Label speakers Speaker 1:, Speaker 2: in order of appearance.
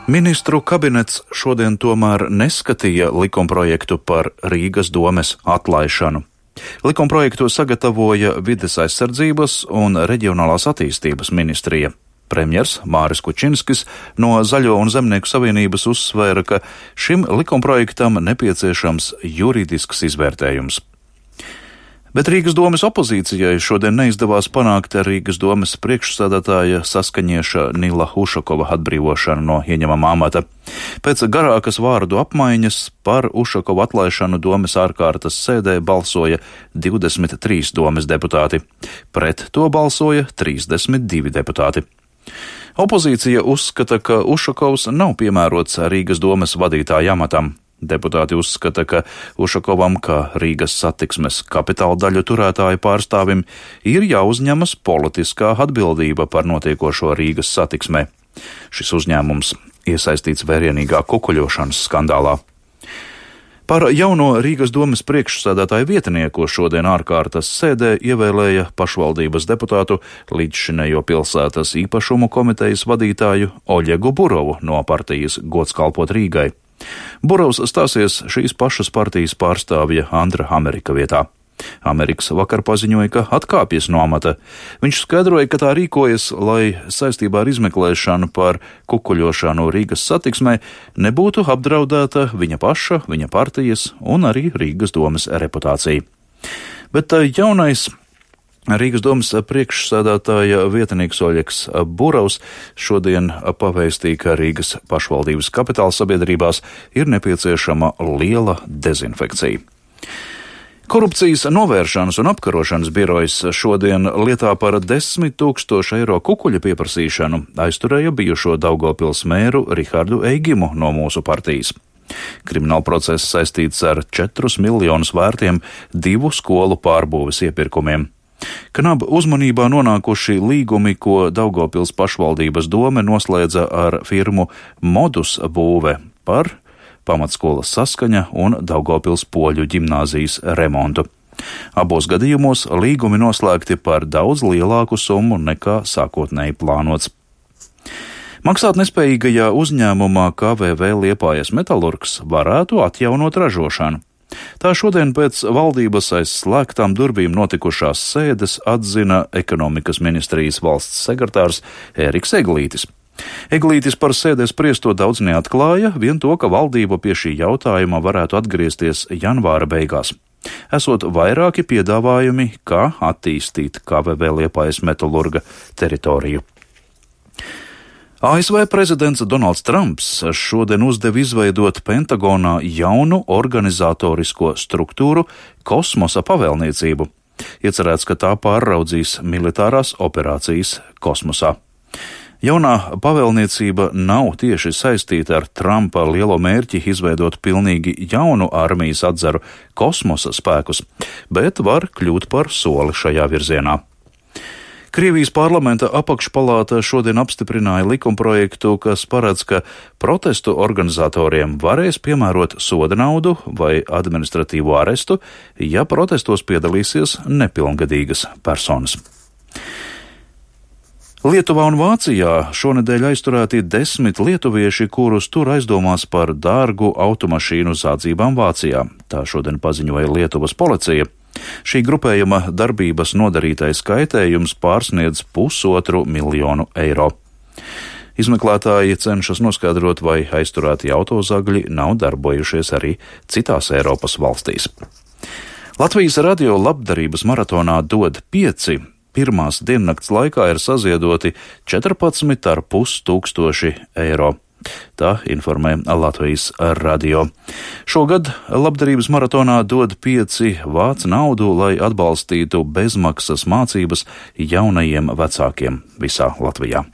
Speaker 1: Ministru kabinets šodien tomēr neskatīja likumprojektu par Rīgas domes atlaišanu. Likumprojektu sagatavoja Vides aizsardzības un reģionālās attīstības ministrija. Premjers Māris Kučinskis no Zaļo un Zemnieku savienības uzsvēra, ka šim likumprojektam nepieciešams juridisks izvērtējums. Bet Rīgas domes opozīcijai šodien neizdevās panākt Rīgas domes priekšsēdētāja Saskaņieša Nila Ušakova atbrīvošanu no ieņemamā amata. Pēc garākas vārdu apmaiņas par Ušakova atlaišanu domes ārkārtas sēdē balsoja 23 domes deputāti. Pret to balsoja 32 deputāti. Opozīcija uzskata, ka Ušakovs nav piemērots Rīgas domes vadītāja amatam. Deputāti uzskata, ka Ušakovam, kā Rīgas satiksmes kapitāla daļu turētāju pārstāvim, ir jāuzņemas politiskā atbildība par notiekošo Rīgas satiksmē. Šis uzņēmums iesaistīts vērienīgā kukuļošanas skandālā. Par jauno Rīgas domes priekšsēdētāju vietnieku šodien ārkārtas sēdē ievēlēja pašvaldības deputātu līdzšinējo pilsētas īpašumu komitejas vadītāju Oļegu Burovu no partijas Gods kalpot Rīgai. Burovs stāsies šīs pašas partijas pārstāvja Andra Amerika vietā. Amerikas vakar paziņoja, ka atkāpjas no amata. Viņš skaidroja, ka tā rīkojas, lai saistībā ar izmeklēšanu par kukuļošanu Rīgas satiksmē nebūtu apdraudēta viņa paša, viņa partijas un arī Rīgas domes reputācija. Bet jaunais Rīgas domes priekšsēdētāja vietnieks Oļegs Burovs šodien pavēstīja, ka Rīgas pašvaldības kapitāla sabiedrībās ir nepieciešama liela dezinfekcija. Korupcijas novēršanas un apkarošanas birojas šodien lietā par 10 000 eiro kukuļa pieprasīšanu aizturēja bijušo Daugavpils mēru Rihardu Eigimu no mūsu partijas. Krimināla process saistīts ar 4 miljonus vērtiem 2 skolu pārbūves iepirkumiem. Knab uzmanībā nonākuši līgumi, ko Daugavpils pašvaldības dome noslēdza ar firmu Modus būve par pamatskolas Saskaņa un Daugavpils poļu ģimnāzijas remontu. Abos gadījumos līgumi noslēgti par daudz lielāku summu nekā sākotnēji plānots. Maksāt nespējīgajā uzņēmumā KVV Liepājas metalurgs varētu atjaunot ražošanu. Tā šodien pēc valdības aiz slēgtām durvīm notikušās sēdes atzina ekonomikas ministrijas valsts sekretārs Ēriks Eglītis. Eglītis par sēdēs spriesto daudz neatklāja, vien to, ka valdība pie šī jautājuma varētu atgriezties janvāra beigās. Esot vairāki piedāvājumi, kā attīstīt KVV Liepājas metalurga teritoriju. ASV prezidents Donalds Trumps šodien uzdeva izveidot Pentagonā jaunu organizatorisko struktūru kosmosa pavēlniecību. Iecerēts, ka tā pāraudzīs militārās operācijas kosmosā. Jaunā pavēlniecība nav tieši saistīta ar Trumpa lielo mērķi izveidot pilnīgi jaunu armijas atzaru kosmosa spēkus, bet var kļūt par soli šajā virzienā. Krievijas parlamenta apakšpalāta šodien apstiprināja likumprojektu, kas paredz, ka protestu organizatoriem varēs piemērot soda naudu vai administratīvo arestu, ja protestos piedalīsies nepilngadīgas personas. Lietuvā un Vācijā šonedēļ aizturēti 10 lietuvieši, kurus tur aizdomās par dārgu automašīnu zādzībām Vācijā. Tā šodien paziņoja Lietuvas policija. Šī grupējuma darbības nodarītais kaitējums pārsniedz 1,5 miljonu eiro. Izmeklētāji cenšas noskaidrot, vai aizturētie autozagļi nav darbojušies arī citās Eiropas valstīs. Latvijas radio labdarības maratonā Dod 5 pirmās diennakts laikā ir saziedoti 14,5 tūkstoši eiro. Tā informē Latvijas radio. Šogad labdarības maratonā Dod 5 vāc naudu, lai atbalstītu bezmaksas mācības jaunajiem vecākiem visā Latvijā.